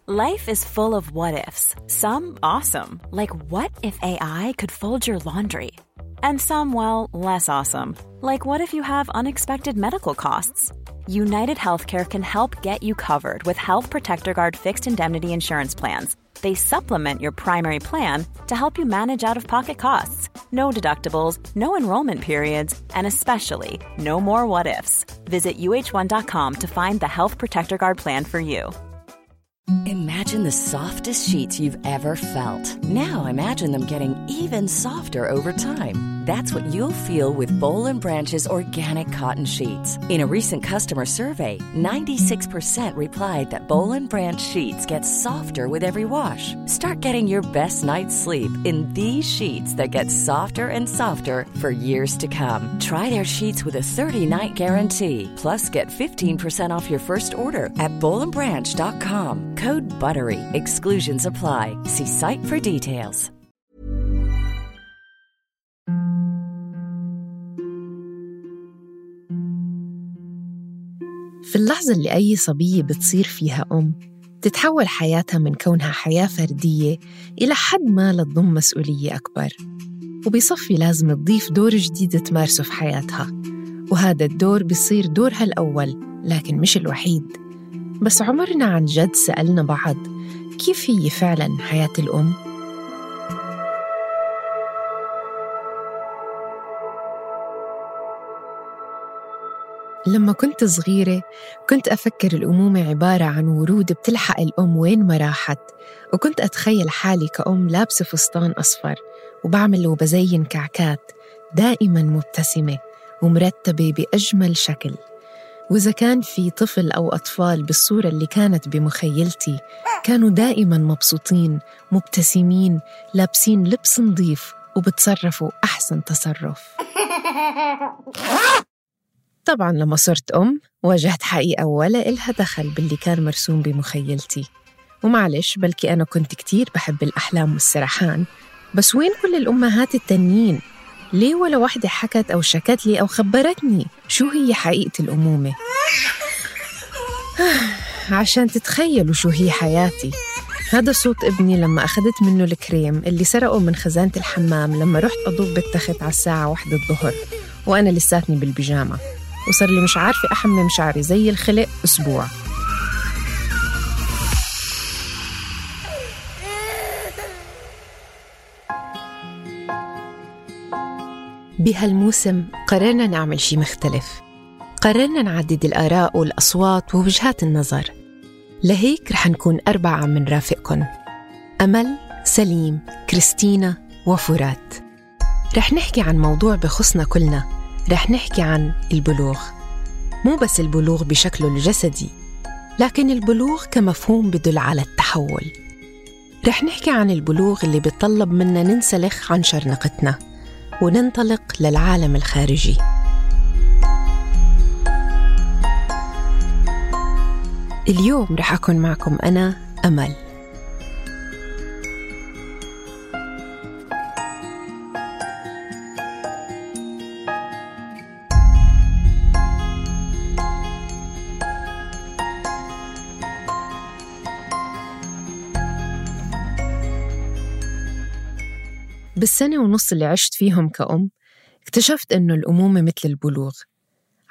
Life is full of what-ifs. Some awesome, like what if AI could fold your laundry? And some, well, less awesome, like what if you have unexpected medical costs? United Healthcare can help get you covered with Health Protector Guard fixed indemnity insurance plans. They supplement your primary plan to help you manage out-of-pocket costs. No deductibles, no enrollment periods, and especially no more what-ifs. Visit uh1.com to find the Health Protector Guard plan for you. Imagine the softest sheets you've ever felt. Now imagine them getting even softer over time. That's what you'll feel with Boll & Branch's organic cotton sheets. In a recent customer survey, 96% replied that Boll & Branch sheets get softer with every wash. Start getting your best night's sleep in these sheets that get softer and softer for years to come. Try their sheets with a 30-night guarantee. Plus, get 15% off your first order at bollandbranch.com. Code BUTTERY. Exclusions apply. See site for details. في اللحظة اللي أي صبية بتصير فيها أم، تتحول حياتها من كونها حياة فردية إلى حد ما لتضم مسؤولية أكبر، وبيصفي لازم تضيف دور جديد تمارسه في حياتها، وهذا الدور بيصير دورها الأول لكن مش الوحيد. بس عمرنا عن جد سألنا بعض كيف هي فعلاً حياة الأم؟ لما كنت صغيرة كنت أفكر الأمومة عبارة عن ورود بتلحق الأم وين ما راحت، وكنت أتخيل حالي كأم لابسة فستان أصفر وبعمل وبزين كعكات، دائماً مبتسمة ومرتبة بأجمل شكل. وإذا كان في طفل أو أطفال بالصورة اللي كانت بمخيلتي كانوا دائماً مبسوطين مبتسمين لابسين لبس نظيف وبتصرفوا أحسن تصرف. طبعاً لما صرت أم واجهت حقيقة ولا إلها دخل باللي كان مرسوم بمخيلتي، ومعلش بلكي أنا كنت كتير بحب الأحلام والسرحان، بس وين كل الأمهات التانيين؟ ليه ولا واحدة حكت أو شكت لي أو خبرتني شو هي حقيقة الأمومة؟ عشان تتخيلوا شو هي حياتي، هذا صوت ابني لما أخذت منه الكريم اللي سرقه من خزانة الحمام لما رحت أضوب بالتخت على الساعة 1 الظهر وأنا لساتني بالبيجامة، وصار لي مش عارفة أحمم شعري زي الخلق أسبوع. بهالموسم قررنا نعمل شي مختلف، قررنا نعدد الآراء والأصوات ووجهات النظر، لهيك رح نكون 4 من رافقكن: أمل، سليم، كريستينا وفرات. رح نحكي عن موضوع بخصنا كلنا، رح نحكي عن البلوغ، مو بس البلوغ بشكله الجسدي، لكن البلوغ كمفهوم بدل على التحول. رح نحكي عن البلوغ اللي بيطلب منا ننسلخ عن شرنقتنا وننطلق للعالم الخارجي. اليوم رح أكون معكم أنا أمل. بالسنة ونص اللي عشت فيهم كأم اكتشفت إنه الأمومة مثل البلوغ،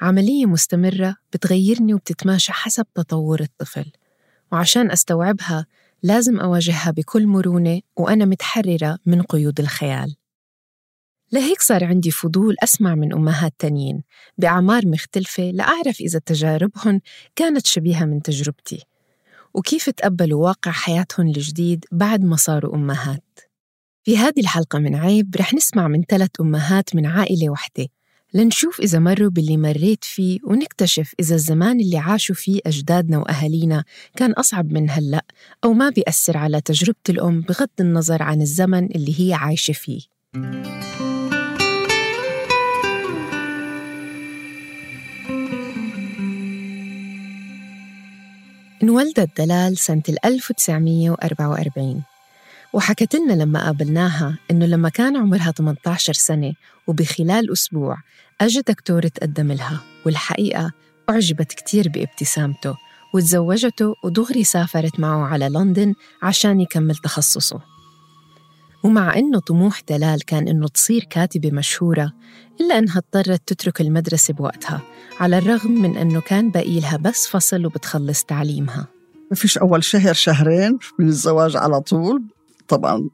عملية مستمرة بتغيرني وبتتماشى حسب تطور الطفل، وعشان أستوعبها لازم أواجهها بكل مرونة وأنا متحررة من قيود الخيال. لهيك صار عندي فضول أسمع من أمهات تانيين بأعمار مختلفة لأعرف إذا تجاربهن كانت شبيهة من تجربتي، وكيف تقبلوا واقع حياتهن الجديد بعد ما صاروا أمهات. في هذه الحلقة من عيب رح نسمع من 3 أمهات من عائلة واحدة لنشوف إذا مروا باللي مريت فيه، ونكتشف إذا الزمان اللي عاشوا فيه أجدادنا وأهالينا كان أصعب من هلأ أو ما بيأثر على تجربة الأم بغض النظر عن الزمن اللي هي عايشة فيه. انولدت دلال سنة 1944، وحكت لنا لما قابلناها إنه لما كان عمرها 18 سنة وبخلال أسبوع أجى دكتور تقدم لها، والحقيقة أعجبت كتير بابتسامته وتزوجته ودغري سافرت معه على لندن عشان يكمل تخصصه. ومع إنه طموح دلال كان إنه تصير كاتبة مشهورة، إلا إنها اضطرت تترك المدرسة بوقتها، على الرغم من إنه كان باقي لها بس فصل وبتخلص تعليمها. ما فيش أول شهرين من الزواج على طول طبعاً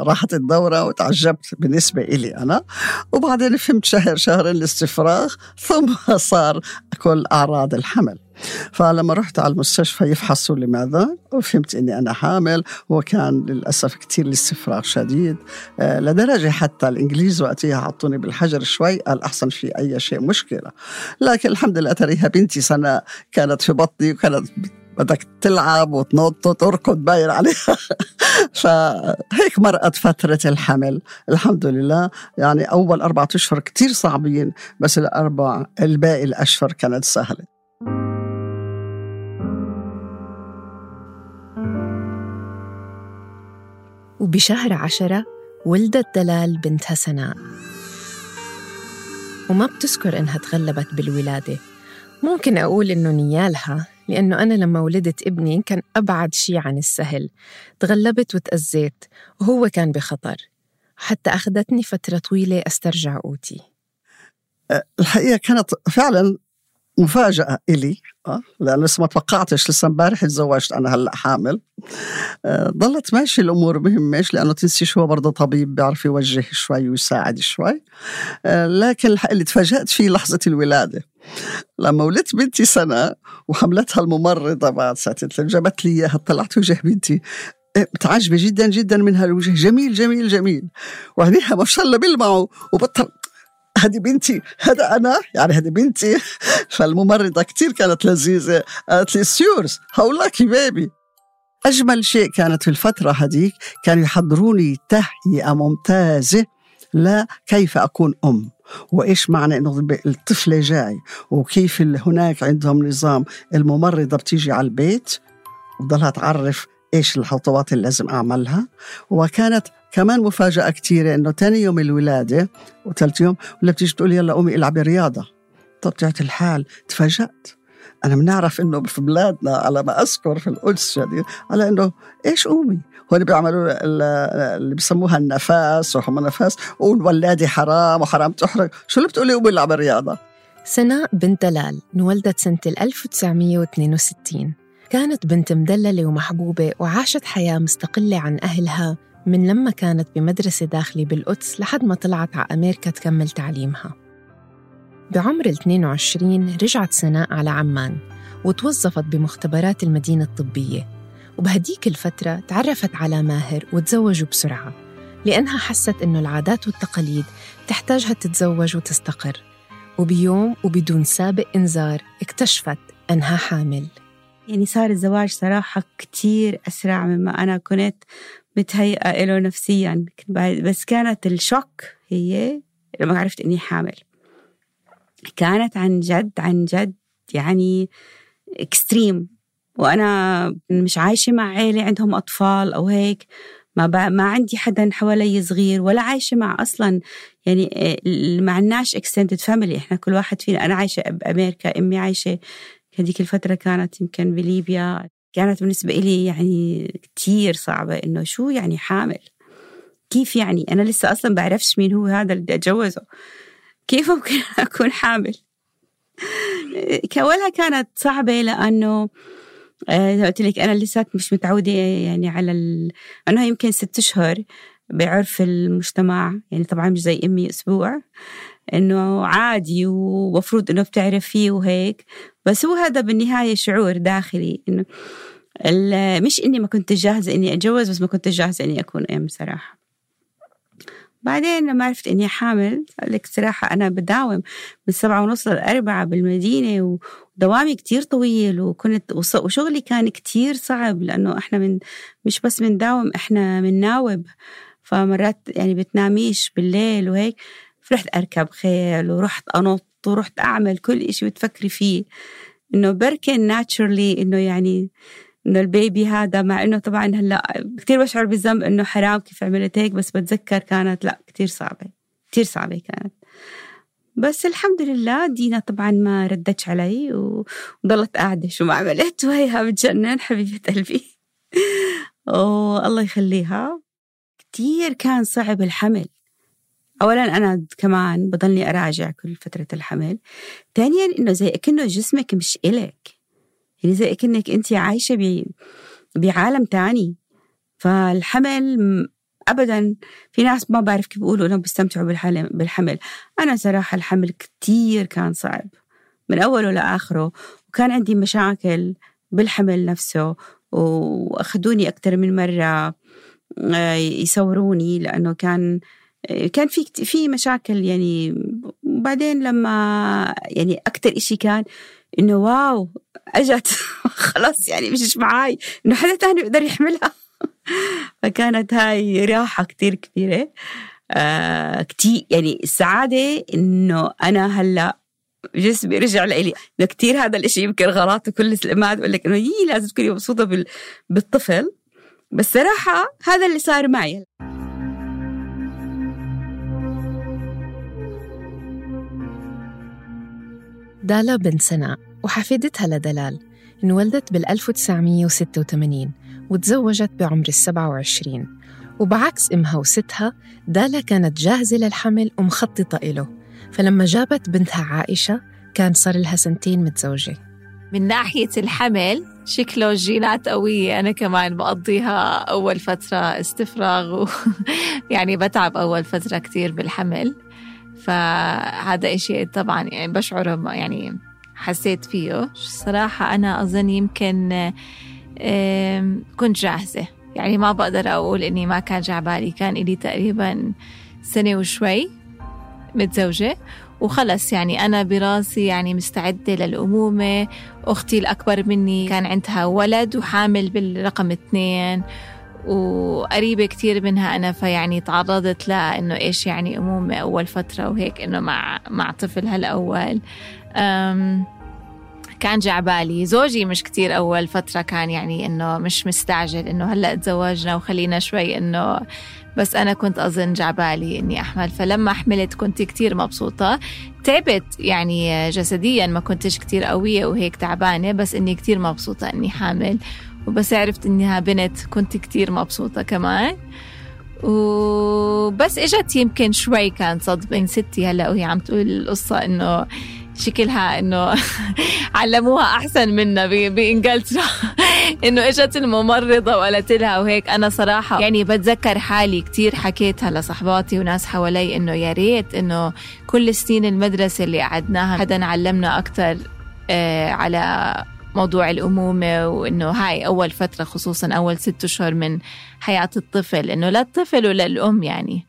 راحت الدورة وتعجبت بالنسبة إلي أنا، وبعدين فهمت شهرين الاستفراغ، ثم صار كل أعراض الحمل. فلما رحت على المستشفى يفحصوا لماذا، وفهمت إني أنا حامل، وكان للأسف كتير الاستفراغ شديد، لدرجة حتى الإنجليز وقتها حطوني بالحجر شوي، قال أحسن في أي شيء مشكلة. لكن الحمد لله تريها بنتي سنة كانت في بطني، وكانت بدك تلعب وتنط وتركض باين عليها. فهيك مرقت فترة الحمل الحمد لله. يعني أول 4 أشهر كتير صعبين، بس الباقي الأشهر كانت سهلة. وبشهر 10 ولدت دلال بنتها سناء، وما بتذكر إنها تغلبت بالولادة. ممكن أقول إنه نيالها، لأنه أنا لما ولدت ابني كان أبعد شي عن السهل، تغلبت وتأذيت وهو كان بخطر، حتى أخذتني فترة طويلة أسترجع قوتي. الحقيقة كانت فعلا مفاجأة إلي، لأنه لسه ما توقعتش، لسه امبارح تزوجت أنا هلأ حامل. ضلت ماشي الأمور مهمش، لأنه تنسيش هو برضه طبيب بيعرف يوجه شوي ويساعد شوي. لكن اللي تفاجأت فيه لحظة الولادة، لما ولدت بنتي سنة وحملتها الممرضة بعد ساعتين جابت لي إياها، طلعت وجه بنتي متعجبة جدا جدا منها، الوجه جميل جميل جميل، وعينيها ما شاء الله بيلمعوا، وبطل هذه بنتي، هذا أنا، يعني هذه بنتي. فالممرضة كتير كانت لذيذة، قالت لي سيورز هولاكي بيبي. أجمل شيء كانت في الفترة هذيك كانوا يحضروني تهيئة ممتازة لكيف أكون أم، وإيش معنى إنه الطفل جاي، وكيف هناك عندهم نظام الممرضة بتيجي على البيت وضلها تعرف إيش الخطوات اللي لازم أعملها. وكانت كمان مفاجأة كتيرة إنه تاني يوم الولادة وثالث يوم ولا بتيجي تقول يلا قومي العبي رياضة. طبيعة الحال تفاجأت، أنا بنعرف إنه في بلادنا على ما أذكر في القدس يعني على إنه إيش قومي، هون بيعملوا اللي بيسموها النفاس وهم نفاس، والولادة حرام وحرام تحرق، شو اللي بتقولي قومي العبي رياضة. سناء بنت دلال انولدت سنة 1962، كانت بنت مدللة ومحبوبة، وعاشت حياة مستقلة عن أهلها من لما كانت بمدرسة داخلي بالقدس لحد ما طلعت على أمريكا تكمل تعليمها. بعمر 22 رجعت سناء على عمان وتوظفت بمختبرات المدينة الطبية، وبهديك الفترة تعرفت على ماهر وتزوجوا بسرعة، لأنها حست إنه العادات والتقاليد تحتاجها تتزوج وتستقر. وبيوم وبدون سابق إنذار اكتشفت أنها حامل. يعني صار الزواج صراحة كتير أسرع مما أنا كنت متهيئة له نفسياً، بس كانت الشوك هي لما عرفت إني حامل. كانت عن جد يعني إكستريم، وأنا مش عايشة مع عائلة عندهم أطفال أو هيك، ما عندي حدا حوالي صغير، ولا عايشة مع أصلاً يعني ما عناش extended family، إحنا كل واحد فينا، أنا عايشة بأمريكا، أمي عايشة هذيك الفترة كانت يمكن بليبيا. كانت بالنسبة إلي يعني كتير صعبة، إنه شو يعني حامل، كيف يعني أنا لسه أصلاً بعرفش مين هو هذا اللي أتجوزه، كيف ممكن أكون حامل. كأولها كانت صعبة، لأنه قلت لك أنا لسه مش متعودة يعني على أنها يمكن 6 أشهر بعرف المجتمع، يعني طبعاً مش زي أمي أسبوع، إنه عادي ومفروض إنه بتعرف فيه وهيك. بس هو هذا بالنهاية شعور داخلي، إنه مش إني ما كنت جاهزة إني أتجوز، بس ما كنت جاهزة إني أكون أم صراحة. بعدين لما عرفت إني حامل، قال لك صراحة أنا بداوم من 7:30 ل4 بالمدينة، ودوامي كتير طويل، وشغلي كان كتير صعب، لأنه إحنا مش بس بنداوم، إحنا بنناوب، فمرات يعني بتناميش بالليل وهيك. فرحت أركب خيل، ورحت أنط، ورحت أعمل كل إشي بتفكري فيه، إنه بركن ناتشورلي إنه يعني إنه البيبي هذا، مع إنه طبعاً هلأ كتير بشعر بالذنب إنه حرام كيف عملت هيك، بس بتذكر كانت لأ كتير صعبة كانت. بس الحمد لله دينا طبعا ما ردتش علي وضلت قاعدة شو ما عملت، وهيها بتجنن حبيبة قلبي. الله يخليها. كتير كان صعب الحمل. أولا أنا كمان بضلني أراجع كل فترة الحمل. ثانيا إنه زي كأنه جسمك مش إلك، يعني زي كأنك أنت عايشة بعالم تاني. فالحمل أبدا، في ناس ما بعرف كيف بيقولوا إنهم بيستمتعوا بالحمل. أنا صراحة الحمل كتير كان صعب من أوله لآخره، وكان عندي مشاكل بالحمل نفسه، وأخذوني أكتر من مرة يصوروني لأنه كان في مشاكل يعني. بعدين لما يعني أكتر إشي كان إنه واو أجت خلاص يعني مش معاي إنه حدا تاني يقدر يحملها. فكانت هاي راحة كتير كبيرة. كتير يعني السعادة إنه أنا هلأ جسمي رجع لإلي. كتير هذا الإشي يمكن غلط، وكل الأمهات بقول لك إنه لازم تكوني مبسوطة بالطفل، بس صراحة هذا اللي صار معي. دالا بنت سناء وحفيدتها لدلال انولدت 1986 وتزوجت بعمر 27، وبعكس إمها وستها دالا كانت جاهزة للحمل ومخططة إله. فلما جابت بنتها عائشة كان صار لها 2 سنين متزوجة. من ناحية الحمل شكله جينات قوية. أنا كمان بقضيها أول فترة استفراغ يعني بتعب أول فترة كتير بالحمل، فهذا إشي طبعا يعني بشعره يعني حسيت فيه صراحة. أنا أظن يمكن كنت جاهزة، يعني ما بقدر أقول إني ما كان جعبالي. كان إلي تقريبا 1 سنة وشوي متزوجة وخلص، يعني أنا براسي يعني مستعدة للأمومة. أختي الأكبر مني كان عندها ولد وحامل بالرقم 2 وقريبة كتير منها أنا، فيعني تعرضت لها إنه إيش يعني أمومة أول فترة وهيك، إنه مع طفلها الأول. كان جعبالي. زوجي مش كتير أول فترة، كان يعني إنه مش مستعجل إنه هلأ تزوجنا وخلينا شوي إنه، بس أنا كنت أظن جعبالي إني أحمل. فلما حملت كنت كتير مبسوطة. تعبت يعني جسديا، ما كنتش كتير قوية وهيك تعبانة، بس إني كتير مبسوطة إني حامل. وبس عرفت إنها بنت كنت كتير مبسوطة كمان. وبس إجت يمكن شوي كان صدمة ستي هلأ وهي عم تقول القصة إنه شكلها إنه علموها أحسن منا بإنجلترا إنه إجت الممرضة وقالت لها وهيك. أنا صراحة يعني بتذكر حالي كتير حكيتها لصحباتي وناس حوالي إنه يا ريت إنه كل سنين المدرسة اللي قعدناها حدا علمنا أكتر على موضوع الأمومة، وإنه هاي أول فترة خصوصاً أول 6 أشهر من حياة الطفل، إنه لا الطفل ولا الأم يعني.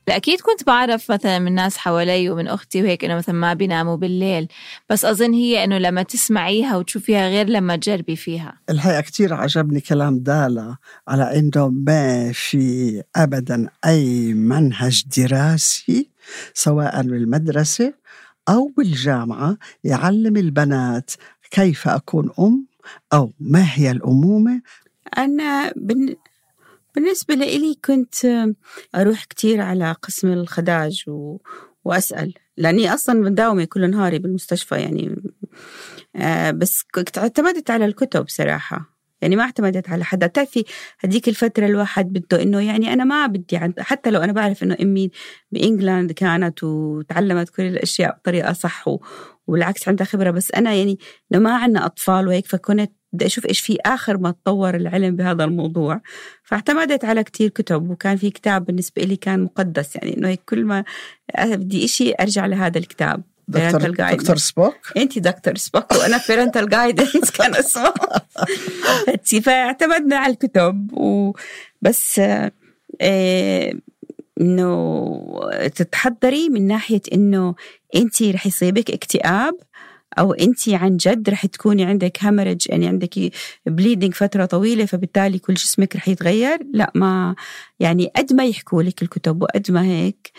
أكيد كنت بعرف مثلا من ناس حوالي ومن أختي وهيك إنه مثلا ما بيناموا بالليل، بس أظن هي إنه لما تسمعيها وتشوفيها غير لما تجربي فيها. الحقيقة كتير عجبني كلام دالا على إنه ما في أبدا أي منهج دراسي سواء بالمدرسة أو بالجامعة يعلم البنات كيف أكون أم أو ما هي الأمومة. أنا بالنسبة لي كنت أروح كتير على قسم الخداج وأسأل، لأني أصلاً مداومة كل نهاري بالمستشفى يعني. بس كنت اعتمدت على الكتب صراحة، يعني ما اعتمدت على حدا. تعرفي هديك الفترة الواحد بده إنه يعني أنا ما بدي حتى لو أنا بعرف إنه أمي بإنجلند كانت وتعلمت كل الأشياء بطريقة صح والعكس عندها خبرة، بس أنا يعني إنه ما عنا أطفال وهيك، فكنت بدي أشوف إيش في آخر ما تطور العلم بهذا الموضوع. فاعتمدت على كتير كتب، وكان في كتاب بالنسبة لي كان مقدس، يعني إنه كل ما بدي إشي أرجع لهذا الكتاب. دكتور سبوك. أنتي دكتور سبوك وأنا parental guidance كان اسمه. فاعتمدنا على الكتب وبس. إنه تتحضري من ناحية إنه أنتي رح يصيبك اكتئاب أو أنتي عن جد رح تكوني عندك هامرج، يعني عندك بليدنج فترة طويلة فبالتالي كل جسمك رح يتغير. لا، ما يعني قد ما يحكوا لك الكتب وقد ما هيك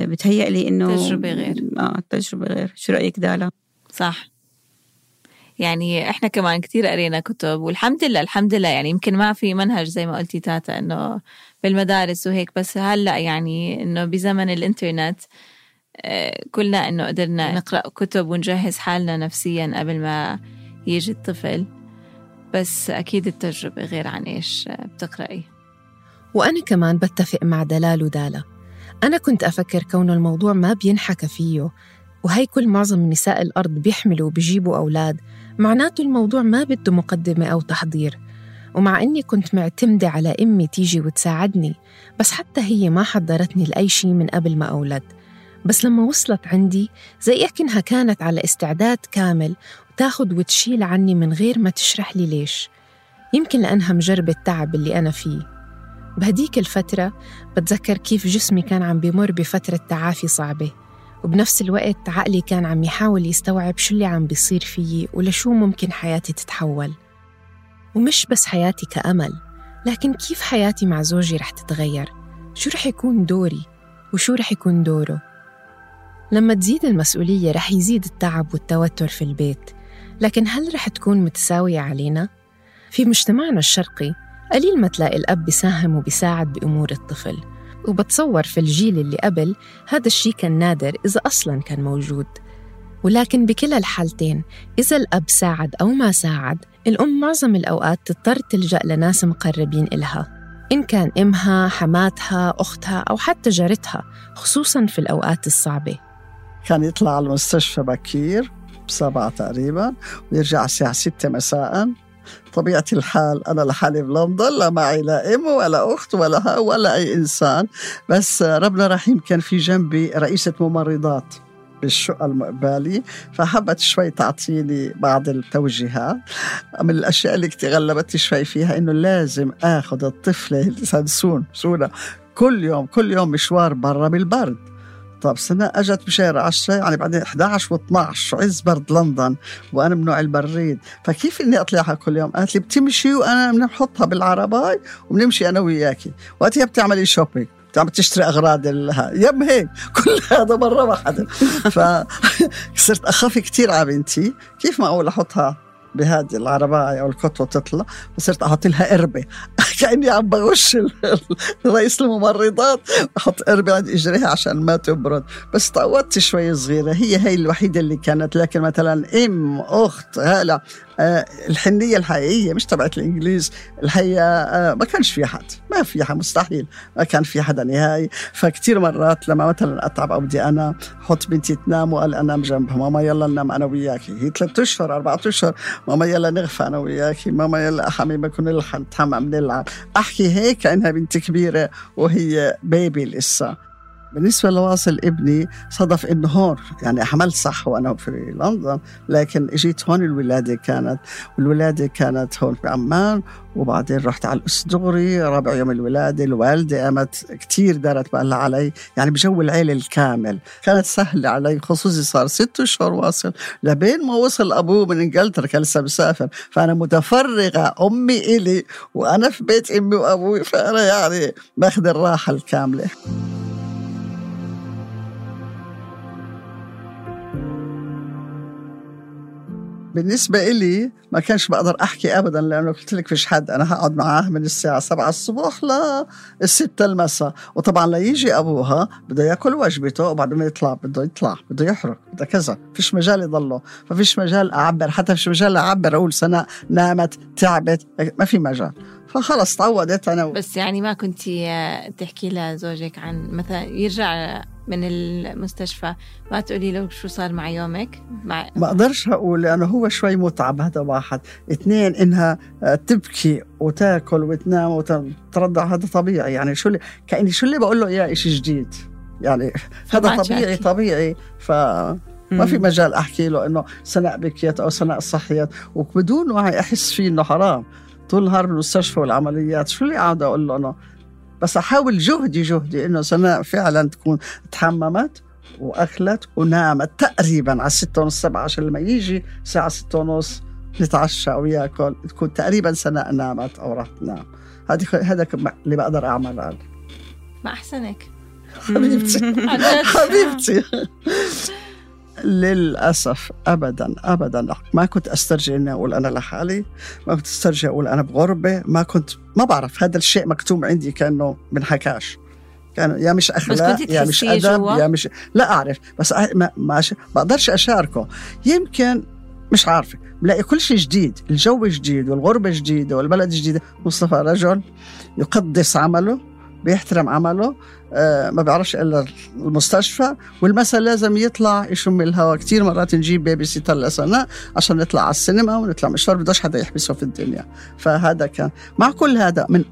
بتهيأ لي إنه تجربة غير. تجربة غير. شو رأيك دالا؟ صح، يعني إحنا كمان كتير قرينا كتب والحمد لله الحمد لله. يعني يمكن ما في منهج زي ما قلتي تاتا إنه بالمدارس وهيك، بس هلأ يعني إنه بزمن الإنترنت كلنا إنه قدرنا نقرأ كتب ونجهز حالنا نفسيا قبل ما يجي الطفل، بس أكيد التجربة غير عن إيش بتقرأي. وأنا كمان بتفق مع دلال ودالا. أنا كنت أفكر كون الموضوع ما بينحكى فيه، وهي كل معظم نساء الأرض بيحملوا وبيجيبوا أولاد، معناته الموضوع ما بده مقدمة أو تحضير. ومع إني كنت معتمدة على أمي تيجي وتساعدني، بس حتى هي ما حضرتني لأي شيء من قبل ما أولد. بس لما وصلت عندي زي أكنها كانت على استعداد كامل وتاخد وتشيل عني من غير ما تشرح لي ليش. يمكن لأنها مجربة التعب اللي أنا فيه. بهديك الفترة بتذكر كيف جسمي كان عم بيمر بفترة تعافي صعبة، وبنفس الوقت عقلي كان عم يحاول يستوعب شو اللي عم بيصير فيي ولشو ممكن حياتي تتحول. ومش بس حياتي كأمل، لكن كيف حياتي مع زوجي رح تتغير، شو رح يكون دوري وشو رح يكون دوره. لما تزيد المسؤولية رح يزيد التعب والتوتر في البيت، لكن هل رح تكون متساوية علينا؟ في مجتمعنا الشرقي قليل ما تلاقي الأب بيساهم وبيساعد بأمور الطفل، وبتصور في الجيل اللي قبل هذا الشيء كان نادر إذا أصلاً كان موجود. ولكن بكلا الحالتين إذا الأب ساعد أو ما ساعد، الأم معظم الأوقات تضطر تلجأ لناس مقربين إلها، إن كان إمها، حماتها، أختها أو حتى جارتها، خصوصاً في الأوقات الصعبة. كان يطلع على المستشفى بكير 7 تقريباً ويرجع الساعة 6 مساءً. طبيعة الحال أنا لحالي بلندن، لا معي لا أم ولا أخت ولا أي إنسان، بس ربنا رحيم كان في جنبي رئيسة ممرضات بالشقة المقبالي، فحبت شوي تعطيني بعض التوجيهات. من الأشياء اللي غلبت شوي فيها إنه لازم أخذ الطفلة سونا كل يوم مشوار برا بالبرد. طب سنة أجت بشهر 10، يعني بعدين 11 و12 عز برد لندن وأنا من نوع البريد، فكيف إني أطلعها كل يوم؟ قالت لي بتمشي وأنا بنحطها بالعرباي وبنمشي أنا وياكي، وقتها بتعملي شوبينج، بتعمل تشتري أغراض يم هيك كل هذا مرة واحدة. فصرت أخاف كتير على بنتي، كيف ما أقول أحطها بهذه العرباية أو الكتوة تطلع، فصرت أحط لها قربة كأني عم بغش رئيس الممرضات، أحط قربة عند إجريها عشان ما تبرد. بس تعودت شوي صغيرة، هي الوحيدة اللي كانت. لكن مثلا أم، أخت، هلا الحنية الحقيقية مش تبعت الإنجليز الحقيقة ما كانش في حد، ما في حد، مستحيل ما كان في حدا نهائي. فكتير مرات لما مثلا أتعب أو بدي أنا أحط بنتي تنام وقال أنام جنبها، ماما يلا ننام أنا وياكي، هي 3 أشهر 4 أشهر، ماما يلا نغفى أنا وياكي، ماما يلا حبيبي كنا نتحمم نلعب، أحكي هيك كأنها بنت كبيرة وهي بيبي لسه. بالنسبة لواصل ابني صدف إنه هون يعني حملت صح وأنا في لندن، لكن إجيت هون الولادة كانت هون في عمان، وبعدين رحت على الأسدغري رابع يوم الولادة. الوالدة قامت كتير دارت بالها علي، يعني بجو العيلة الكامل كانت سهلة علي، خصوصي صار 6 أشهر واصل لبين ما وصل أبوه من إنجلترا، كان لسه مسافر، فأنا متفرغة أمي إلي وأنا في بيت أمي وأبوي، فأنا يعني باخذ الراحة الكاملة. بالنسبة إلي ما كانش بقدر أحكي أبداً، لأنه قلت لك فيش حد، أنا هقعد معاه من الساعة 7 الصبح ل6 المساء، وطبعاً ليجي أبوها بده يأكل وجبته وبعد ما يطلع بده يحرك بده كذا، فيش مجال يضله، فيش مجال أعبر، حتى فيش مجال أعبر أقول سنة نامت تعبت، ما في مجال. فخلص تعودت أنا. بس يعني ما كنتي تحكي لزوجك عن مثلا يرجع من المستشفى ما تقولي له شو صار مع يومك؟ ما أقدرش أقول، لأنه هو شوي متعب، هذا 1. 2 إنها تبكي وتاكل وتنام وترضع، هذا طبيعي، يعني كأني شو اللي بقول له إياه إشي جديد، يعني هذا طبيعي. ما في مجال أحكي له إنه سناء بكيت أو سناء صحيت، وبدون وعي أحس فيه إنه حرام طول نهار بالمستشفى والعمليات. شو اللي قاعد أقول له أنا؟ بس أحاول جهدي إنه سناء فعلا تكون تحممت وأكلت ونامت تقريبا على 6:30 7 عشان لما يجي الساعة 6:30 نتعشى أو يأكل تكون تقريبا سناء نامت أو راح تنام. هذا اللي بقدر أعمل. ما أحسنك حبيبتي. للأسف أبداً ما كنت أسترجع إني أقول أنا لحالي، ما كنت أسترجع أقول أنا بغربة، ما بعرف، هذا الشيء مكتوم عندي كأنه منحكاش. كانوا يا مش أخلاق يا مش أدب يا مش لا أعرف، بس ما بقدرش أشاركه. يمكن مش عارفة، بلاقي كل شيء جديد، الجو جديد والغربة جديدة والبلد جديدة. مصطفى رجل يقدس عمله، بيحترم عمله، ما بيعرفش إلا المستشفى، والمساء لازم يطلع يشم الهواء. كتير مرات نجيب بيبي سيتر لسنة عشان نطلع على السينما ونطلع مشوار، بدوش حدا يحبسه في الدنيا. فهذا كان مع كل هذا من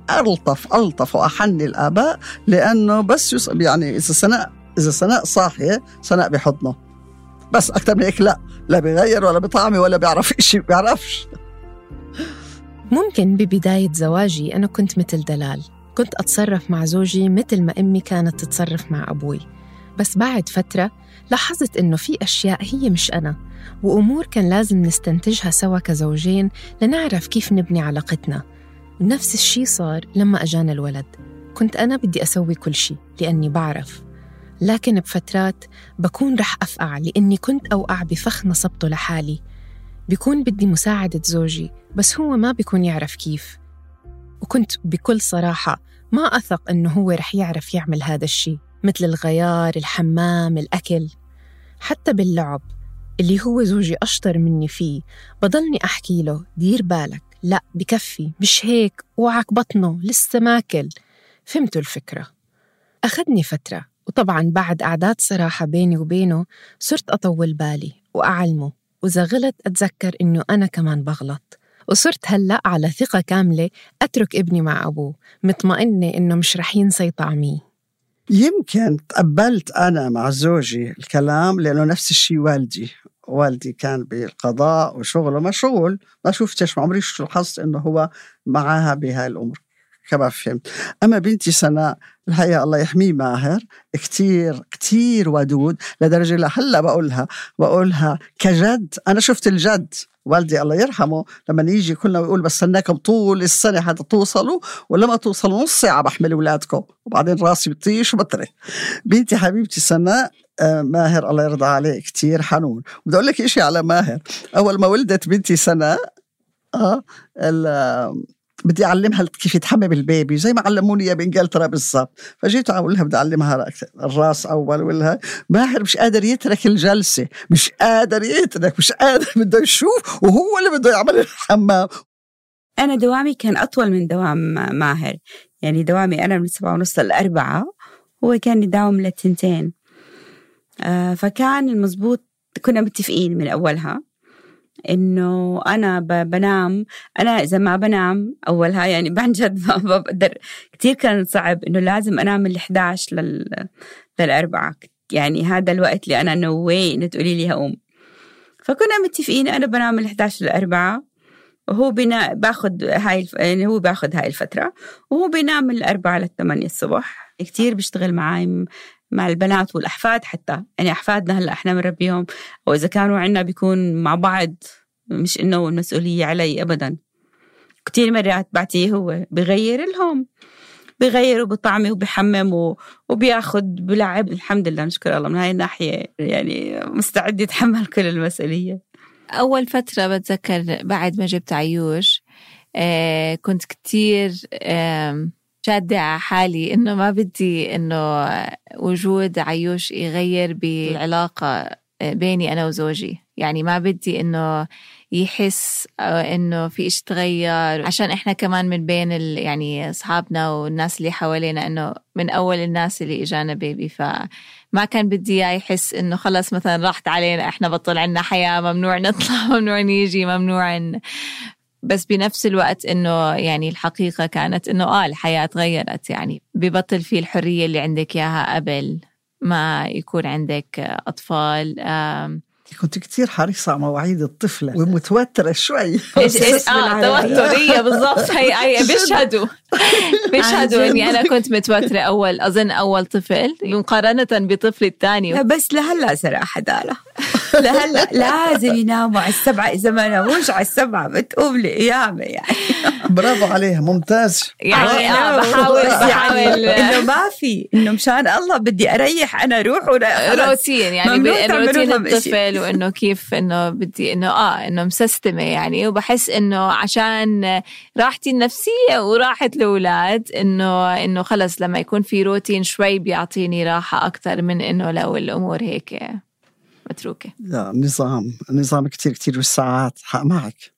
ألطف وأحن الآباء، لأنه بس يعني إذا سناء صاحية سناء بحضنه، بس أكتر من هيك لا بيغير ولا بطعمي ولا بيعرف إشي، بيعرفش. ممكن ببداية زواجي أنا كنت مثل دلال، كنت أتصرف مع زوجي مثل ما أمي كانت تتصرف مع أبوي. بس بعد فترة لاحظت إنه في أشياء هي مش أنا، وأمور كان لازم نستنتجها سوا كزوجين لنعرف كيف نبني علاقتنا. نفس الشي صار لما أجانا الولد. كنت أنا بدي أسوي كل شي لأني بعرف، لكن بفترات بكون رح أفقع لأني كنت أوقع بفخ نصبته لحالي. بيكون بدي مساعدة زوجي بس هو ما بيكون يعرف كيف، وكنت بكل صراحة ما أثق إنه هو رح يعرف يعمل هذا الشي، مثل الغيار، الحمام، الأكل. حتى باللعب اللي هو زوجي أشطر مني فيه بضلني أحكي له دير بالك، لا بكفي، مش هيك، وعك بطنه لسه ماكل. فهمتوا الفكرة؟ أخذني فترة، وطبعاً بعد أعداد صراحة بيني وبينه صرت أطول بالي وأعلمه، وإذا غلط أتذكر إنه أنا كمان بغلط. وصرت هلأ على ثقة كاملة أترك ابني مع أبوه، مطمئنة إنه مش رح ينسى طعمي. يمكن تقبلت أنا مع زوجي الكلام لأنه نفس الشيء والدي كان بالقضاء وشغله مشغول، ما شفتش، ما عمري لاحظت إنه هو معها بهاي الأمور كما فهمت. أما بنتي سناء الحقيقة الله يحميه ماهر، كتير ودود، لدرجة لهلا بقولها كجد. أنا شفت الجد والدي الله يرحمه لما يجي كلنا ويقول بستناكم طول السنة حتى توصلوا، ولما توصلوا نص ساعة بحمل أولادكم، وبعدين راسي بطيش وبطري. بنتي حبيبتي سناء ماهر الله يرضى عليه كتير حنون. بدي أقول لك إشي على ماهر. أول ما ولدت بنتي سناء بدي أعلمها كيف يتحمم البيبي زي ما علموني يا بإنجلترا بالضبط. فجيت أقول لها بدي أعلمها الراس أول، ولا ماهر مش قادر يترك الجلسة، مش قادر بده يشوف، وهو اللي بده يعمل الحمام. أنا دوامي كان أطول من دوام ماهر، يعني دوامي أنا من 7:30 ل4، هو كان يداوم ل2. فكان المزبوط، كنا متفقين من أولها إنه أنا بنام، أنا إذا ما بنام أولها يعني بنجد ما بقدر. كتير كان صعب إنه لازم أنام من 11 لل4، يعني هذا الوقت اللي أنا نوي إنه تقولي لي هقوم. فكنا متفقين أنا بنام من 11 لل4، وهو باخد يعني هو باخد هاي الفترة، وهو بينام من 4 ل8 الصبح. كتير بيشتغل معي مع البنات والأحفاد، حتى يعني أحفادنا هلأ إحنا مربيهم، وإذا كانوا عنا بيكون مع بعض، مش إنه المسؤولية علي أبدا. كتير مرات بعتيه هو بغير لهم، بغير وبطعمي وبحمم وبياخد بلعب. الحمد لله نشكر الله من هاي الناحية، يعني مستعد يتحمل كل المسؤولية. أول فترة بتذكر بعد ما جبت عيوش كنت كتير شادة على حالي إنه ما بدي إنه وجود عيوش يغير بالعلاقة بيني أنا وزوجي، يعني ما بدي إنه يحس إنه في إيش تغير، عشان إحنا كمان من بين يعني أصحابنا والناس اللي حوالينا إنه من أول الناس اللي إجانا بيبي، فما كان بدي يحس إنه خلص مثلا راحت علينا، إحنا بطل عنا حياة، ممنوع نطلع، ممنوع نيجي، ممنوع بس بنفس الوقت إنه يعني الحقيقة كانت إنه الحياة تغيرت، يعني ببطل في الحرية اللي عندك إياها قبل ما يكون عندك أطفال. كنت كتير حريصة على مواعيد الطفلة ومتوترة شوي. توترية بالضبط. هي بيشهدوا إني أنا كنت متوترة أول طفل مقارنة بطفلي الثاني. بس لهلا صراحة دالة لهلا لازم يناموا على 7، إذا ما ناموش على 7 بتقوم لقيامة يعني. برافو عليها، ممتاز. يعني أنا بحاول إنه ما في إنه مشان الله بدي أريح أنا روح روتين يعني روتين الطفل، وإنه كيف إنه بدي إنه مسستمة يعني. وبحس إنه عشان راحتي النفسية وراحة الأولاد إنه خلص لما يكون في روتين شوي بيعطيني راحة أكتر من إنه لو الأمور هيك متروكة. لا، نظام كتير والساعات. حق معك.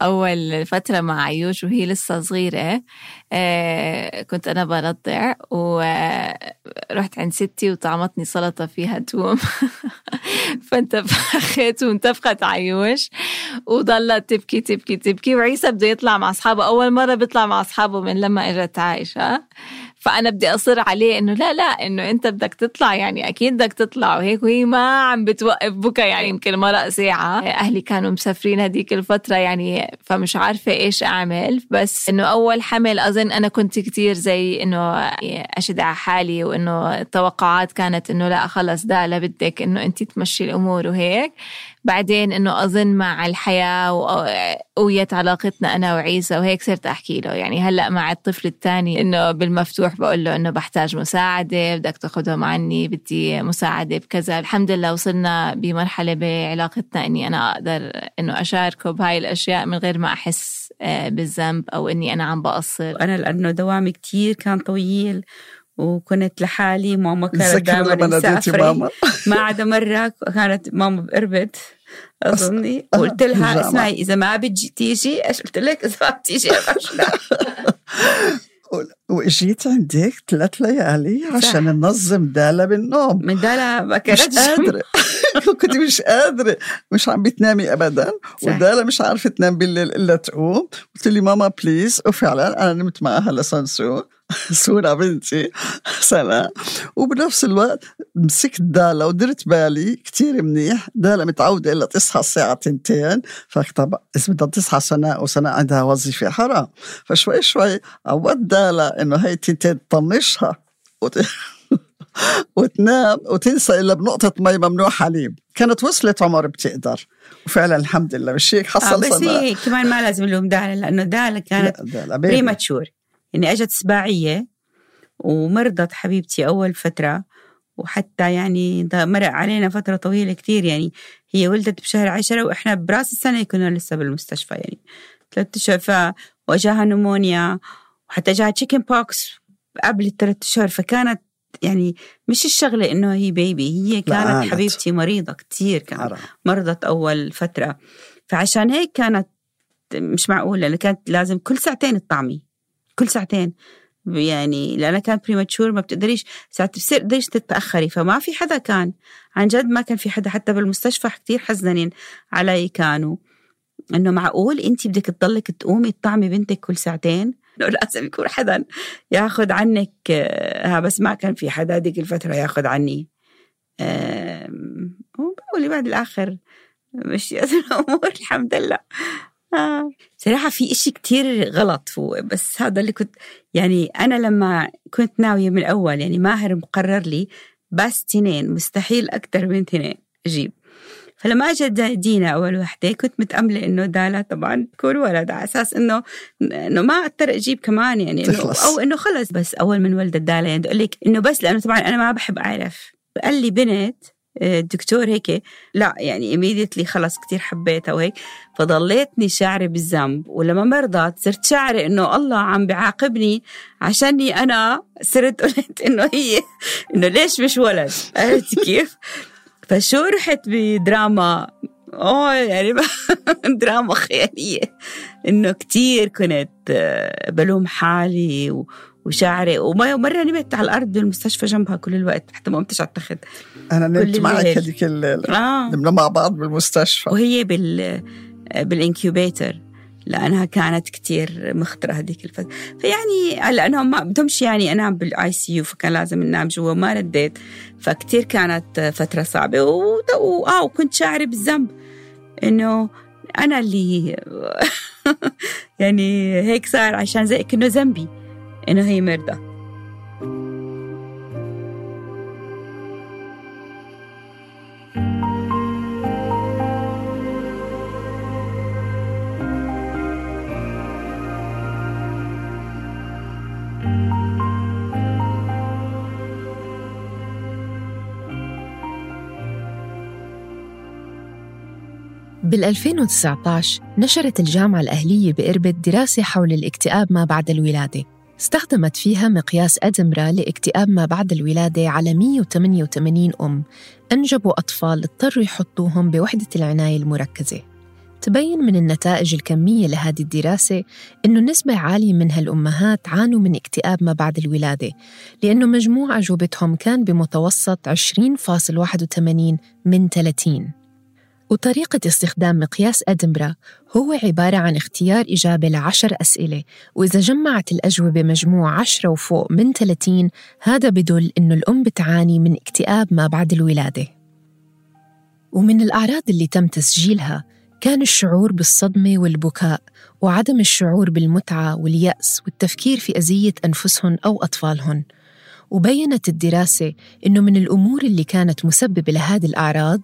أول فترة مع عيوش وهي لسه صغيرة، كنت أنا برضع ورحت عند ستي وطعمتني سلطة فيها توم فانتفخت وانتفخت عيوش وضلت تبكي وعيسى بده يطلع مع أصحابه. أول مرة بيطلع مع أصحابه من لما إجت عايشة، فأنا بدي أصر عليه إنه لا إنه أنت بدك تطلع، يعني أكيد بدك تطلع وهيك، وهي ما عم بتوقف بكى يعني. يمكن مرق ساعة. أهلي كانوا مسافرين هديك الفترة يعني، فمش عارفة إيش أعمل. بس إنه أول حمل أظن أنا كنت كتير زي إنه أشد على حالي، وإنه التوقعات كانت إنه لا خلص ده لا بدك إنه أنت تمشي الأمور وهيك. بعدين إنه أظن مع الحياة وقويت علاقتنا أنا وعيسى وهيك صرت أحكي له يعني. هلأ مع الطفل الثاني إنه بالمفتوح بقول له إنه بحتاج مساعدة، بدك تاخدهم عني، بدي مساعدة بكذا. الحمد لله وصلنا بمرحلة بعلاقتنا إني أنا أقدر إنه أشاركه بهاي الأشياء من غير ما أحس بالذنب أو إني أنا عم بقصر. أنا لأنه دوامي كتير كان طويل وكنت لحالي، ماما كانت دائما مسافرة. ما عدا مرة كانت ماما بقربت أظني، قلت لها اسمعي إذا ما بتجي تيجي، إيش قلت لك؟ إذا ما بتيجي أبشنا. وإجيت عندك 3 ليالي عشان ننظم دالة بالنوم. من دالة ما كانتش قادرة كنت مش قادرة، مش عم بتنامي أبدا، ودالة مش عارفة تنام بالليل إلا تقوم. قلت لي ماما بليز، وفعلا أنا نمت معها لسانسو سورة بنتي سنة. وبنفس الوقت مسكت دالة ودرت بالي كتير منيح. دالة متعودة إلا تصحى الساعة 2، فطبعا إذا بدها تصحى سنة وسنة عندها وظيفة حرام، فشوي شوي عودت دالة إنه هاي 2 تطنشها وتنام وتنسى إلا بنقطة مي ممنوع حليب. كانت وصلت عمر بتقدر، وفعلا الحمد لله بالشيك حصل. بس هي كمان ما لازم لهم دالة، لأنه دالة كانت بريماتشور يعني، أجت سباعية ومرضت حبيبتي أول فترة، وحتى يعني مرق علينا فترة طويلة كتير يعني. هي ولدت بشهر 10 وإحنا براس السنة كنا لسه بالمستشفى يعني 3 أشهر، وجاها نمونيا، وحتى جاها تشيكن بوكس قبل 3 أشهر. فكانت يعني مش الشغلة إنه هي بيبي، هي كانت حبيبتي مريضة كتير، كانت مرضت أول فترة. فعشان هيك كانت مش معقولة، لأن كانت لازم كل 2 ساعة تطعمي، كل 2 ساعة يعني، لأنها كانت بريماتشور ما بتقدريش ساعات بتقدريش تتأخري. فما في حدا كان عن جد، ما كان في حدا حتى بالمستشفى كتير حزنين علي كانوا، إنه معقول أنتي بدك تضلك تقومي تطعمي بنتك كل 2 ساعة؟ لازم يكون حدا ياخد عنك. بس ما كان في حدا ديك الفترة ياخد عني. وبقولي بعد الآخر مش الأمور الحمد لله. صراحة في إشي كتير غلط هو، بس هذا اللي كنت يعني أنا لما كنت ناوية من الأول يعني ماهر مقرر لي بس 2، مستحيل أكتر من 2 أجيب. فلما أجت دينا أول وحدة كنت متأملة إنه دالة طبعا تكون ولد، على أساس إنه ما أقدر أجيب كمان يعني أو إنه خلص. بس أول من ولدت دالة يعني أقول لك إنه بس لأنه طبعا أنا ما بحب أعرف، قال لي بنت الدكتور هيك لا يعني immediately خلص كتير حبيتها وهيك. فضليتني شعري بالذنب، ولما مرضت صرت شعري إنه الله عم بعاقبني عشاني أنا صرت قلت إنه هي إنه ليش مش ولد، عرفت كيف؟ فشو رحت بدراما يعني دراما خيالية، إنه كتير كنت بلوم حالي وشعري. ومرة نمت على الأرض بالمستشفى جنبها كل الوقت حتى ما قمتش على التخت. أنا نمت معك هذيك الليلة، نمنا مع بعض بالمستشفى، وهي بالإنكيوبيتر لأنها كانت كتير مخطرة هذيك الفترة. فيعني لأنهم ما بدهمش يعني أنام بالآي سي يو، فكان لازم ننام جوا، ما رديت. فكتير كانت فترة صعبة وكنت شاعرة بالذنب إنه أنا اللي يعني هيك صار، عشان زي كأنه ذنبي إنه هي مرضى. بال2019 نشرت الجامعة الأهلية بإربد دراسة حول الاكتئاب ما بعد الولادة، استخدمت فيها مقياس أدنبرا لاكتئاب ما بعد الولادة على 188 أم أنجبوا أطفال اضطروا يحطوهم بوحدة العناية المركزة. تبين من النتائج الكمية لهذه الدراسة إنه نسبة عالية من هالأمهات عانوا من اكتئاب ما بعد الولادة، لأنه مجموع أجوبتهم كان بمتوسط 20.81 من 30. وطريقة استخدام مقياس أدنبرا هو عبارة عن اختيار إجابة ل10 أسئلة، وإذا جمعت الأجوبة مجموع 10 وفوق من 30 هذا بدل إنه الأم بتعاني من اكتئاب ما بعد الولادة. ومن الأعراض اللي تم تسجيلها كان الشعور بالصدمة والبكاء، وعدم الشعور بالمتعة واليأس والتفكير في أذية أنفسهم أو أطفالهم. وبيّنت الدراسة إنه من الأمور اللي كانت مسببة لهذه الأعراض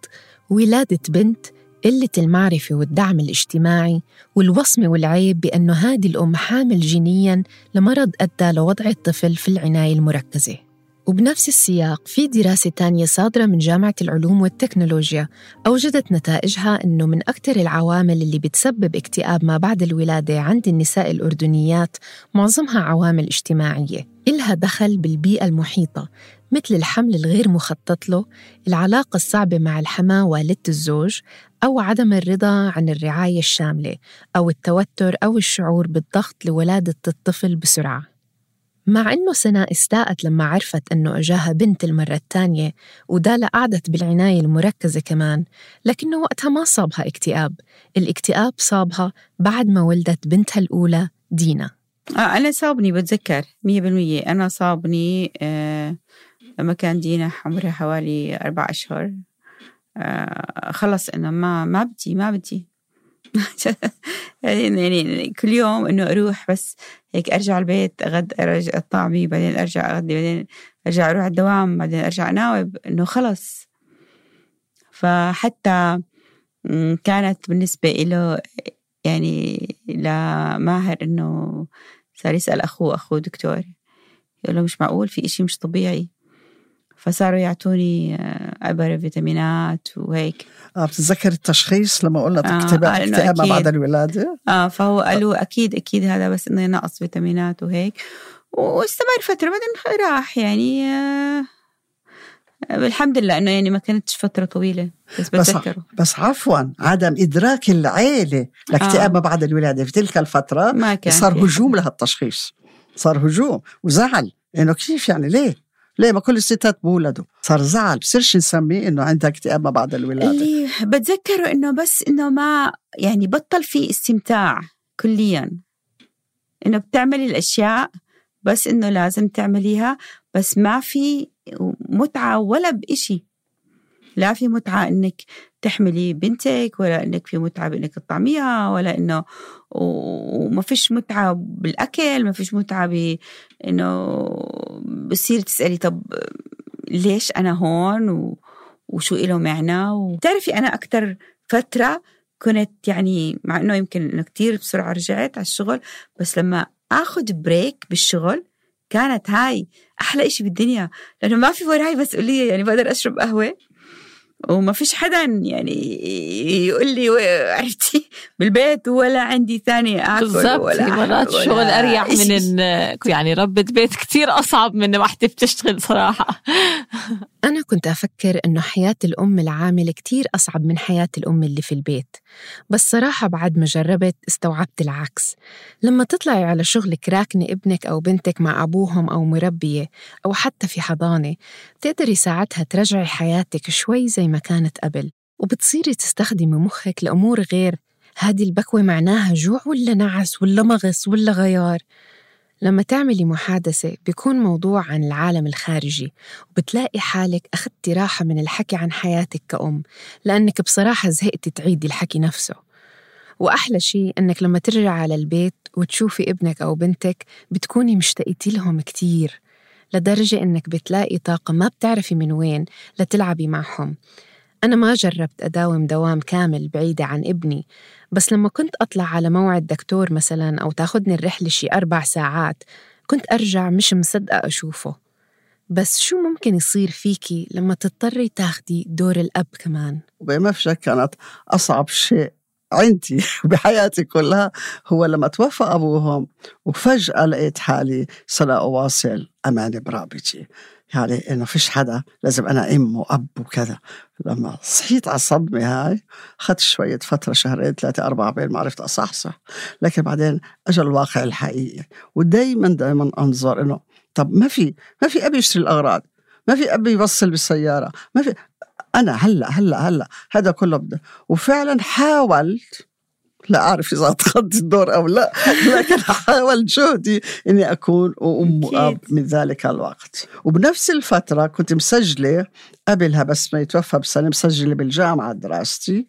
ولادة بنت، قلة المعرفة والدعم الاجتماعي، والوصمة والعيب بأنه هذه الأم حامل جينياً لمرض أدى لوضع الطفل في العناية المركزة. وبنفس السياق في دراسة تانية صادرة من جامعة العلوم والتكنولوجيا أوجدت نتائجها أنه من أكثر العوامل اللي بتسبب اكتئاب ما بعد الولادة عند النساء الأردنيات معظمها عوامل اجتماعية إلها دخل بالبيئة المحيطة، مثل الحمل الغير مخطط له، العلاقة الصعبة مع الحماة والدة الزوج، أو عدم الرضا عن الرعاية الشاملة، أو التوتر أو الشعور بالضغط لولادة الطفل بسرعة. مع أنه سناء استاءت لما عرفت أنه أجاها بنت المرة الثانية ودالا قعدت بالعناية المركزة كمان، لكنه وقتها ما صابها اكتئاب. الاكتئاب صابها بعد ما ولدت بنتها الأولى دينا. أنا صابني، بتذكر 100%. أنا صابني لما كان دينا عمرها حوالي 4 أشهر. خلص إنه ما بدي يعني كل يوم إنه أروح بس هيك أرجع البيت أرجع طعمي، بعدين أرجع أغدي، بعدين أرجع أروح الدوام، بعدين أرجع أناوب، إنه خلص. فحتى كانت بالنسبة إله يعني لماهر إنه صار يسأل أخوه دكتور، يقول له مش معقول، في إشي مش طبيعي. فصاروا يعطوني عبارة فيتامينات وهيك. بتتذكر التشخيص لما قلنا اكتئاب ما بعد الولادة؟ فهو قالوا أكيد هذا بس إنه نقص فيتامينات وهيك، واستمر فترة بعدين راح يعني. الحمد لله إنه يعني ما كانتش فترة طويلة، بس بتذكره. بس عفوا عدم إدراك العائلة لاكتئاب ما بعد الولادة في تلك الفترة صار هجوم لها التشخيص، صار هجوم وزعل إنه كيف يعني ليه ما كل الستات بولدوا؟ صار زعل، بصيرش نسميه إنه عندها اكتئاب ما بعد الولادة. اللي بتذكره إنه بس إنه ما يعني بطل في استمتاع كليا، إنه بتعملي الأشياء بس إنه لازم تعمليها، بس ما في متعة ولا بإشي. لا في متعة إنك تحملي بنتك، ولا إنك في متعة بإنك تطعميها، ولا إنه وما فيش متعة بالأكل، ما فيش متعة بإنه بصير تسألي طب ليش أنا هون وشو إله معنى. وتعرفي أنا أكتر فترة كنت يعني، مع إنه يمكن إنه كتير بسرعة رجعت على الشغل، بس لما أخذ بريك بالشغل كانت هاي أحلى إشي بالدنيا، لأنه ما في وراي مسؤولية. يعني بقدر أشرب قهوة وما فيش حدا يعني يقول لي عرفتي بالبيت، ولا عندي ثانية آكل. بالضبط، مرات شغل أريح من يعني ربة بيت كتير أصعب من واحدة بتشتغل صراحة. أنا كنت أفكر إنه حياة الأم العاملة كتير أصعب من حياة الأم اللي في البيت، بس صراحة بعد ما جربت استوعبت العكس. لما تطلعي على شغلك راكنة ابنك أو بنتك مع أبوهم أو مربية أو حتى في حضانة، تقدري ساعتها ترجعي حياتك شوي زي ما كانت قبل، وبتصيري تستخدمي مخك لأمور غير هذه البكوة معناها جوع ولا نعس ولا مغص ولا غيار. لما تعملي محادثة بيكون موضوع عن العالم الخارجي، وبتلاقي حالك أخذتي راحة من الحكي عن حياتك كأم، لأنك بصراحة زهقتي تعيدي الحكي نفسه. وأحلى شيء أنك لما ترجع على البيت وتشوفي ابنك أو بنتك بتكوني مشتاقتي لهم كتير، لدرجة أنك بتلاقي طاقة ما بتعرفي من وين لتلعبي معهم. أنا ما جربت أداوم دوام كامل بعيدة عن ابني، بس لما كنت أطلع على موعد دكتور مثلاً أو تاخدني الرحلة شي 4 ساعات كنت أرجع مش مصدقة أشوفه. بس شو ممكن يصير فيكي لما تضطري تاخدي دور الأب كمان؟ وبما في شك كانت أصعب شيء عندي بحياتي كلها هو لما توفى أبوهم وفجأة لقيت حالي سأواصل أماني برابطي، يعني إنه فيش حدا، لازم أنا أم وأب وكذا. لما صحيت على الصدمة هاي أخذت شوية فترة، شهرين 3-4 بين ما عرفت أصحصح، لكن بعدين أجل الواقع الحقيقي. ودايما أنظر إنه طب ما في أبي يشتري الأغراض، ما في أبي يوصل بالسيارة، ما في، أنا هلأ هذا كله بدأ. وفعلا حاولت، لا أعرف إذا أتخذت الدور أو لا، لكن حاول جهدي إني أكون أم وأب من ذلك الوقت. وبنفس الفترة كنت مسجلة قبلها، بس ما يتوفى بسنة، مسجلة بالجامعة دراستي،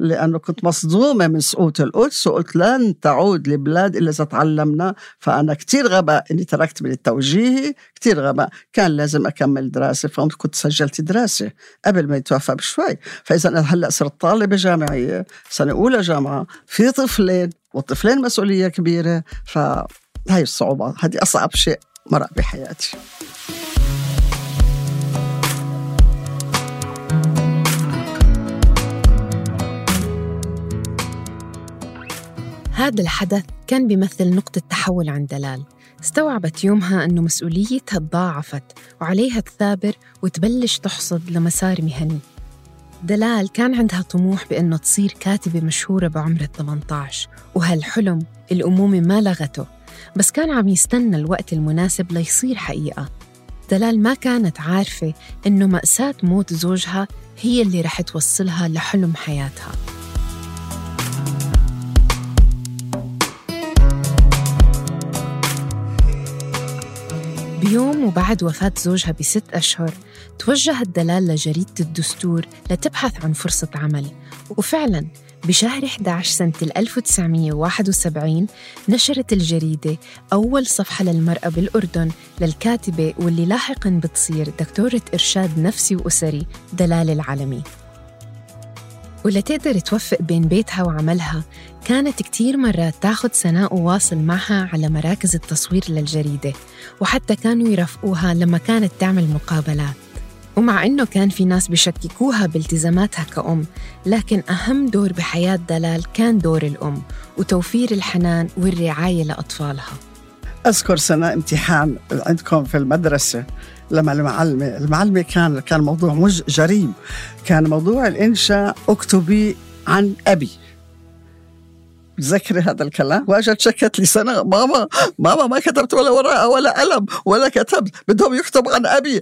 لأنه كنت مصدومة من سقوط القدس، وقلت لن تعود لبلاد إلا إذا تعلمنا. فأنا كتير غباء إني تركت من التوجيهي، كتير غباء، كان لازم أكمل دراسة. فكنت سجلت دراسة قبل ما يتوفى بشوي. فإذا أنا هلأ صرت طالبة جامعية سنة أولى جامعة، في طفلين، والطفلين مسؤولية كبيرة. فهاي الصعوبة، هذه أصعب شيء مرق بحياتي. هذا الحدث كان بيمثل نقطة تحول عند دلال. استوعبت يومها أنه مسؤوليتها تضاعفت وعليها تثابر وتبلش تحصد لمسار مهني. دلال كان عندها طموح بأنه تصير كاتبة مشهورة بعمر 18، وهالحلم الأمومة ما لغته، بس كان عم يستنى الوقت المناسب ليصير حقيقة. دلال ما كانت عارفة أنه مأساة موت زوجها هي اللي رح توصلها لحلم حياتها. بيوم وبعد وفاة زوجها ب6 أشهر توجهت دلال لجريدة الدستور لتبحث عن فرصة عمل. وفعلاً بشهر 11 سنة 1971 نشرت الجريدة أول صفحة للمرأة بالأردن للكاتبة واللي لاحقاً بتصير دكتورة إرشاد نفسي وأسري دلال العلمي. ولتقدر توفق بين بيتها وعملها كانت كتير مرات تاخد سناء وواصل معها على مراكز التصوير للجريدة، وحتى كانوا يرافقوها لما كانت تعمل مقابلات. ومع إنه كان في ناس بيشككوها بالتزاماتها كأم، لكن أهم دور بحياة دلال كان دور الأم وتوفير الحنان والرعاية لأطفالها. أذكر سنة امتحان عندكم في المدرسة لما المعلمة كان موضوع جريم، كان موضوع الإنشاء اكتبي عن أبي. تذكري هذا الكلام؟ واجت شكت لي سنة، ماما ما كتبت ولا ورقة ولا قلم ولا كتبت، بدهم يكتب عن أبي.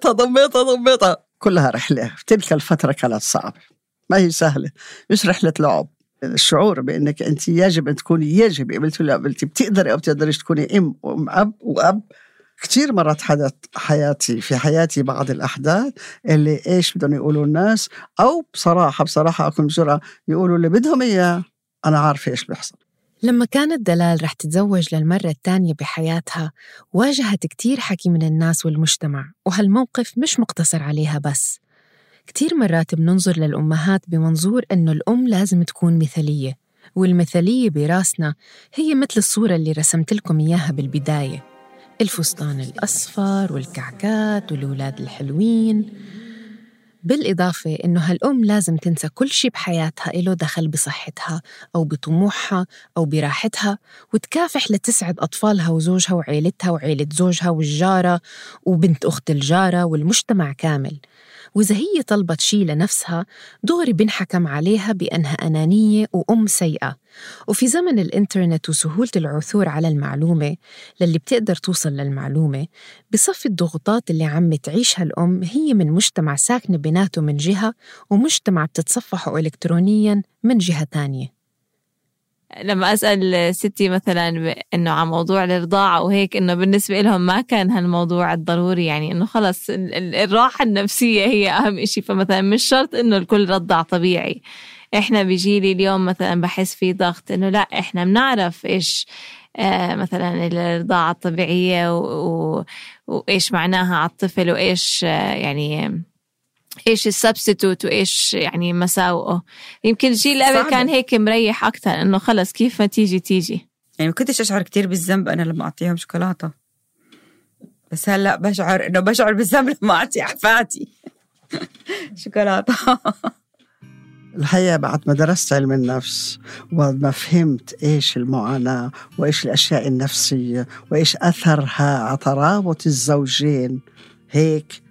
ضميتها كلها رحلة. في تلك الفترة كانت صعبة، ما هي سهلة، مش رحلة لعب. الشعور بأنك أنت يجب أن تكوني، قبلتي ولا قبلتي، بتقدري أو بتقدريش تكوني أم وأب. كتير مرات حدث في حياتي بعض الأحداث اللي إيش بدهم يقولوا الناس، أو بصراحة أكون بجرأة يقولوا اللي بدهم إياه، أنا عارفة إيش بيحصل. لما كانت دلال رح تتزوج للمرة الثانية بحياتها واجهت كتير حكي من الناس والمجتمع، وهالموقف مش مقتصر عليها بس. كتير مرات بننظر للأمهات بمنظور أنه الأم لازم تكون مثالية، والمثالية براسنا هي مثل الصورة اللي رسمت لكم إياها بالبداية، الفستان الأصفر والكعكات والأولاد الحلوين. بالإضافة إنه هالأم لازم تنسى كل شي بحياتها إله دخل بصحتها أو بطموحها أو براحتها، وتكافح لتسعد أطفالها وزوجها وعيلتها وعيلة زوجها والجارة وبنت أخت الجارة والمجتمع كامل. وإذا هي طلبت شي لنفسها دغري بنحكم عليها بأنها أنانية وأم سيئة. وفي زمن الإنترنت وسهولة العثور على المعلومة للي بتقدر توصل للمعلومة، بصفي الضغوطات اللي عم تعيشها الأم هي من مجتمع ساكنة بيناته من جهة، ومجتمع بتتصفحه إلكترونياً من جهة تانية. لما أسأل ستي مثلا إنه عن موضوع الرضاعة وهيك، إنه بالنسبة لهم ما كان هالموضوع الضروري، يعني إنه خلص الراحة النفسية هي أهم إشي. فمثلا مش شرط إنه الكل رضع طبيعي. إحنا بيجيلي اليوم مثلا بحس في ضغط إنه لا، إحنا بنعرف إيش مثلا الرضاعة الطبيعية وإيش معناها على الطفل، وإيش يعني إيش السبستيتوت وإيش يعني مساوئه. يمكن الجيل قبل كان هيك مريح أكتر، إنه خلص كيف ما تيجي. يعني ما كنتش أشعر كتير بالذنب أنا لما أعطيهم شوكولاتة، بس هلأ بشعر بالذنب لما أعطي أحفادي شوكولاتة. الحقيقة بعد ما درست علم النفس وما فهمت إيش المعاناة وإيش الأشياء النفسية وإيش أثرها على ترابط الزوجين، هيك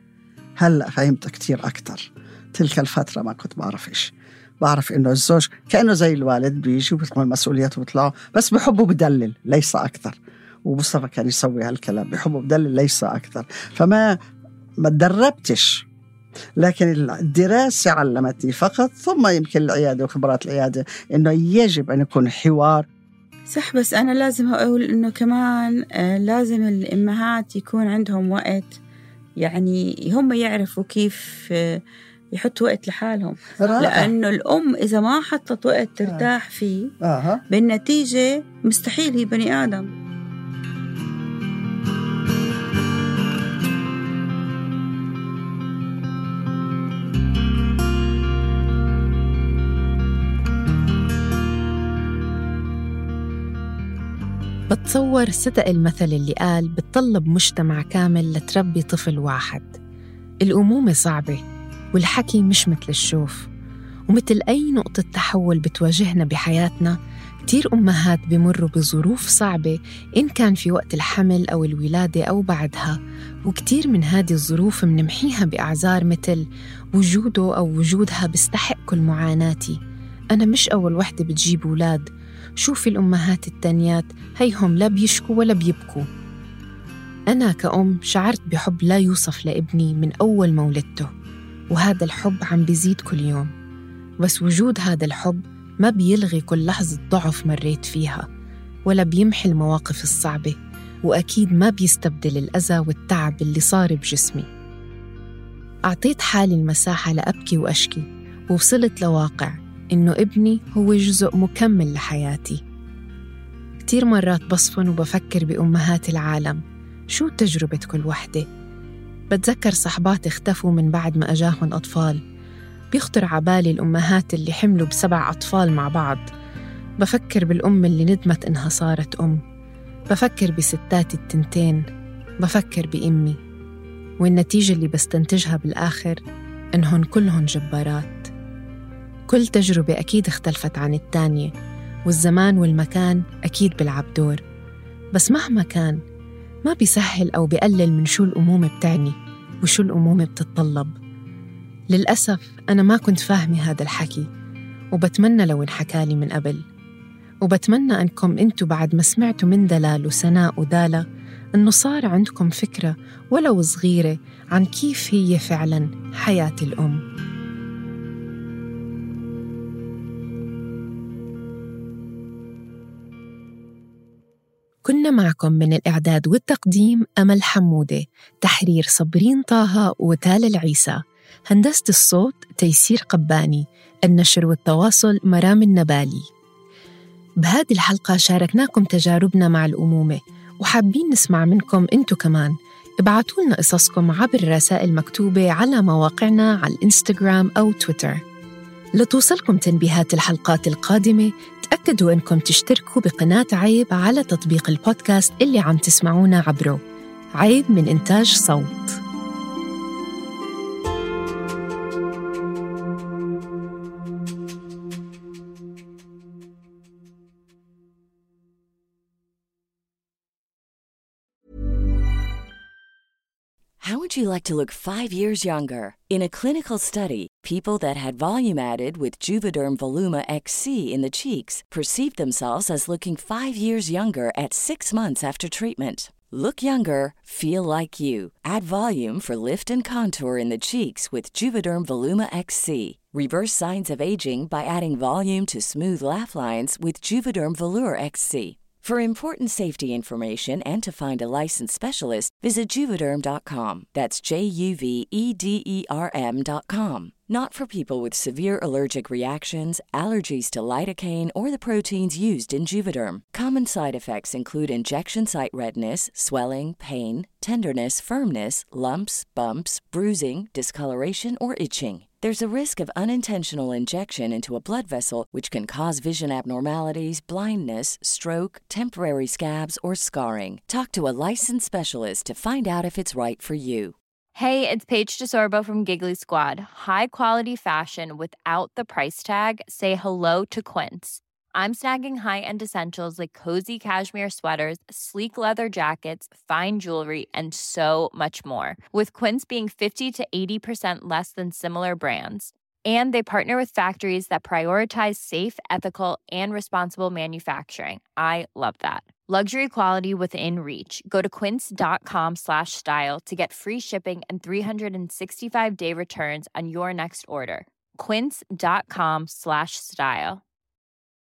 هلأ فهمت كتير أكتر. تلك الفترة ما كنت بعرف إيش. بعرف إنه الزوج كأنه زي الوالد، بيجي وبيتحمل مسؤولياته وبيطلعوا، بس بحبه بدلل ليس أكثر. ومصطفى كان يسوي هالكلام، بحبه بدلل ليس أكثر. فما تدربتش، لكن الدراسة علمتني فقط، ثم يمكن العيادة وخبرات العيادة، إنه يجب أن يكون حوار. صح، بس أنا لازم أقول إنه كمان لازم الأمهات يكون عندهم وقت، يعني هم يعرفوا كيف يحطوا وقت لحالهم. لأنه الأم إذا ما حطت وقت ترتاح فيه بالنتيجة مستحيل هي بني آدم. بتصور صدق المثل اللي قال بتطلب مجتمع كامل لتربي طفل واحد. الأمومة صعبة، والحكي مش مثل الشوف، ومثل أي نقطة تحول بتواجهنا بحياتنا. كتير أمهات بمروا بظروف صعبة، إن كان في وقت الحمل أو الولادة أو بعدها، وكتير من هذه الظروف منمحيها بأعذار مثل وجوده أو وجودها بيستحق كل معاناتي، أنا مش أول وحدة بتجيب أولاد، شوفي الأمهات التانيات هيهم لا بيشكوا ولا بيبكوا. أنا كأم شعرت بحب لا يوصف لابني من أول ما ولدته، وهذا الحب عم بيزيد كل يوم. بس وجود هذا الحب ما بيلغي كل لحظة ضعف مريت فيها، ولا بيمحي المواقف الصعبة، وأكيد ما بيستبدل الأذى والتعب اللي صار بجسمي. أعطيت حالي المساحة لأبكي وأشكي، ووصلت لواقع إنه ابني هو جزء مكمل لحياتي. كتير مرات بصفن وبفكر بأمهات العالم، شو تجربة كل وحدة؟ بتذكر صحبات اختفوا من بعد ما أجاهن أطفال، بيخطر عبالي الأمهات اللي حملوا ب7 أطفال مع بعض. بفكر بالأم اللي ندمت إنها صارت أم، بفكر بستات التنتين، بفكر بأمي، والنتيجة اللي بستنتجها بالآخر إنهن كلهن جبارات. كل تجربة أكيد اختلفت عن التانية، والزمان والمكان أكيد بيلعب دور، بس مهما كان ما بيسهل أو بيقلل من شو الأمومة بتعني وشو الأمومة بتتطلب. للأسف أنا ما كنت فاهمة هذا الحكي، وبتمنى لو انحكالي من قبل، وبتمنى أنكم أنتو بعد ما سمعتوا من دلال وسناء ودالة أنه صار عندكم فكرة ولو صغيرة عن كيف هي فعلاً حياة الأم. كنا معكم من الإعداد والتقديم أمل حمودة، تحرير صبرين طه وتال العيسى، هندسة الصوت تيسير قباني، النشر والتواصل مرام النبالي. بهذه الحلقة شاركناكم تجاربنا مع الأمومة، وحابين نسمع منكم أنتو كمان. ابعتوا لنا قصصكم عبر رسائل مكتوبة على مواقعنا على الإنستغرام أو تويتر. لتوصلكم تنبيهات الحلقات القادمة تأكدوا أنكم تشتركوا بقناة عيب على تطبيق البودكاست اللي عم تسمعونا عبره. عيب من إنتاج صوت. How would you like to look 5 years younger? In a clinical study, people that had volume added with Juvederm Voluma XC in the cheeks perceived themselves as looking 5 years younger at 6 months after treatment. Look younger, feel like you. Add volume for lift and contour in the cheeks with Juvederm Voluma XC. Reverse signs of aging by adding volume to smooth laugh lines with Juvederm Volure XC. For important safety information and to find a licensed specialist, visit Juvederm.com. That's JUVEDERM.com. Not for people with severe allergic reactions, allergies to lidocaine, or the proteins used in Juvederm. Common side effects include injection site redness, swelling, pain, tenderness, firmness, lumps, bumps, bruising, discoloration, or itching. There's a risk of unintentional injection into a blood vessel, which can cause vision abnormalities, blindness, stroke, temporary scabs, or scarring. Talk to a licensed specialist to find out if it's right for you. Hey, it's Paige DeSorbo from Giggly Squad. High quality fashion without the price tag. Say hello to Quince. I'm snagging high-end essentials like cozy cashmere sweaters, sleek leather jackets, fine jewelry, and so much more. With Quince being 50 to 80% less than similar brands. And they partner with factories that prioritize safe, ethical, and responsible manufacturing. I love that. Luxury quality within reach. Go to quince.com/style to get free shipping and 365-day returns on your next order. Quince.com/style.